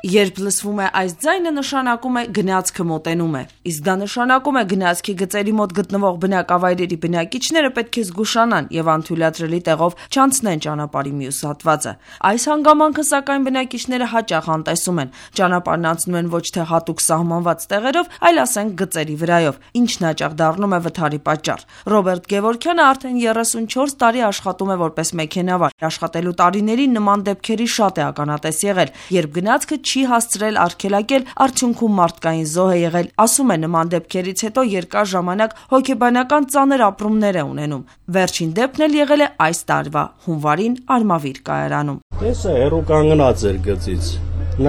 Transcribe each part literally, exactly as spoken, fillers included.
Երբ լսվում է այս ձայնը, նշանակում է գնացքը մոտենում է, իսկ դա նշանակում է գնացքի գծերի մոտ գտնվող բնակավայրերի բնակիչները պետք է զգուշանան եւ անթույլատրելի տեղով չանցնեն ճանապարհի մյուս հատվածը։ Այս հանգամանքը, սակայն, բնակիչները հաճախ անտեսում են։ Ճանապարհն անցնում են ոչ թե հատուկ սահմանված տեղերով, այլ ասենք գծերի վրայով, ինչն հաճախ դառնում է վթարի պատճառ։ Ռոբերտ Գևորգյանը արդեն երեսունչորս տարի աշխատում է որպես մեքենավար։ Աշխատելու տարիներին նման դեպքերի շատ է ականատես եղել, երբ գնացքը չի հասցրել արգելակել, արդյունքում մարդկային զոհ է եղել։ Ասում է, նման դեպքերից հետո երկար ժամանակ հոգեբանական ծանր ապրումներ է ունենում։ Վերջին դեպքն էլ եղել է այս տարվա հունվարին Արմավիր կայարանում։ Տեսա, հեռու կանգնած էր գծից։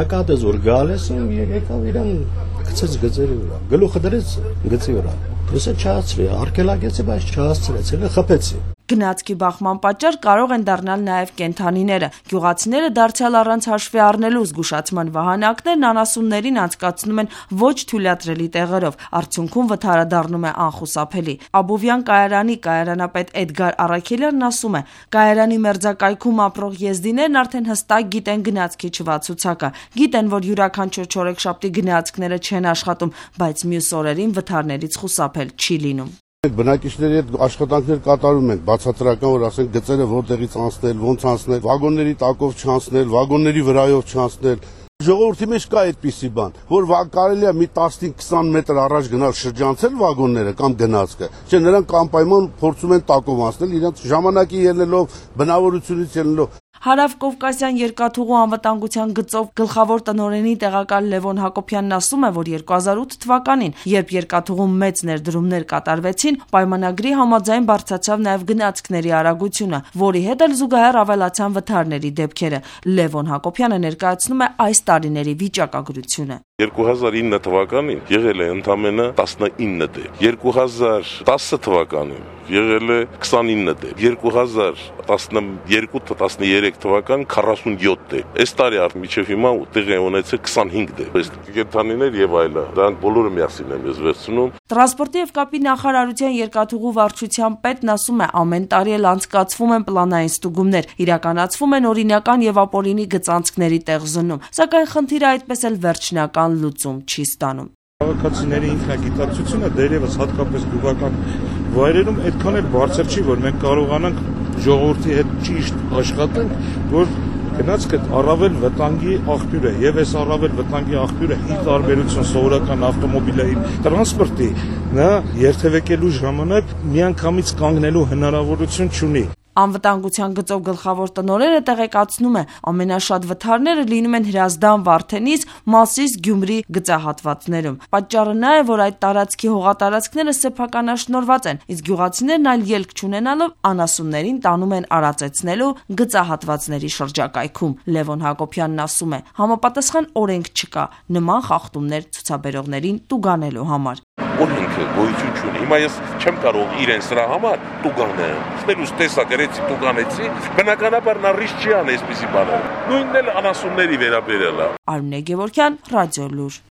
Նկատեց, որ գալիս ու եկավ իրան գցեց գծերի վրա։ Գլուխը դրեց գծի վրա։ Ես չհասցրի, արգելակեցի, բայց չհասցրեց, elə խփեցի։ Գնացքի բախման պատճառ կարող են դառնալ նաև կենդանիները։ Գյուղացիները դարձյալ առանց հաշվի առնելու զգուշացման վահանակներն անասուններին անցկացնում են ոչ թույլատրելի տեղերով, արդյունքում վթարը դառնում է անխուսափելի։ Աբովյան կայարանի կայարանապետ Էդգար Առաքելյանն ասում է, կայարանի մերձակայքում ապրող եզդիներն արդեն հստակ գիտեն գնացքի չվացուցակը, գիտեն, որ յուրաքանչյուր չորեքշաբթի գնացքները չեն աշխատում, բայց մյուս օրերին վթարներից խուսափել չի լինում։ Բնակիչների հետ աշխատանքներ կատարում ենք, բացատրական, որ ասենք գծերը որտեղից անցնել, ոնց անցնել, վագոնների տակով չանցնել, վագոնների վրայով չանցնել։ Ժողովրդի մեջ կա այդպիսի բան, որ կարելի է մի տասնհինգ քսան մետր առաջ գնալ շրջանցել վագոնները կամ գնացքը, չէ, նրանք անպայման փորձում են տակով անցնել, իրենց ժամանակի ելնելով, բնավորությունից ելնելով։ Հարավկովկասյան երկաթուղու անվտանգության գծով գլխավոր տնօրենի տեղակալ Լևոն Հակոբյանն ասում է, որ երկու հազար ութ թվականին, երբ երկաթուղում մեծ ներդրումներ կատարվեցին, պայմանագրի համաձայն բարձրացավ նաև գնացքների արագությունը, որի հետ էլ զուգահեռ ավելացան վթարների դեպքերը։ Լևոն Հակոբյանը ներկայացնում է այս տարիների վիճակագրությունը։ երկու հազար ինը թվականին եղել է ընդամենը տասնինը դեպք, երկու հազար տասը թվականին եղել է քսանինը դեպք, երկու հազար տասներկու տասներեք թվականին քառասունյոթ դեպք, այս տարի մինչև հիմա տեղի ունեցել քսանհինգ դեպք, այս կենդանիներ եւ այլն, դրանք բոլորը միասին եմ ես վերցնում։ Տրանսպորտի եւ կապի նախարարության երկաթուղու վարչության պետն ասում է, ամեն տարի էլ անցկացվում են պլանային ստուգումներ, իրականացվում են օրինական եւ ապօրինի գծանցքների տեղզնում, սակայն խնդիրը այդպես էլ վերջնական լուծում չի ստանում։ Քաղաքացիների ինքնագիտակցությունը դերևս հատկապես գյուղական վայրերում այդքան էլ բարձր չի, որ մենք կարողանանք ժողովրդի հետ ճիշտ աշխատենք, որ գնացքը առավել վտանգի աղբյուր է, եւ այս առավել վտանգի աղբյուրը ի տարբերություն սովորական ավտոմոբիլային տրանսպորտի, նա երթևեկելու ժամանակ միանգամից կանգնելու հնարավորություն չունի։ Անվտանգության գծով գլխավոր տնօրենը տեղեկացնում է, ամենաշատ վթարները լինում են Հրազդան, Վարդենիս, Մասիս, Գյումրի գծահատվածներում։ Պատճառը նա է, որ այդ տարածքի հողատարածքները սեփականաշնորհված են, իսկ գյուղացիներն այլ ելք չունենալով անասուններին տանում են արածեցնելու գծահատվածների շրջակայքում։ Լևոն Հակոբյանն ասում է, համապատասխան օրենք չկա նման խախտումներ ցուցաբերողներին տուգանելու համար։ Օրենքը գոյություն չունի։ Հիմա ես չեմ կարող իրեն սրա համար տուգանել։ Ստելուս տեսա գրեցի տուգանեցի, բնականաբար նա ռիսկ չի անի այսպիսի բաներ։ Նույնն էլ անասունների վերաբերելա։ Արմինե Գևորգյան, Ռադիոլուր։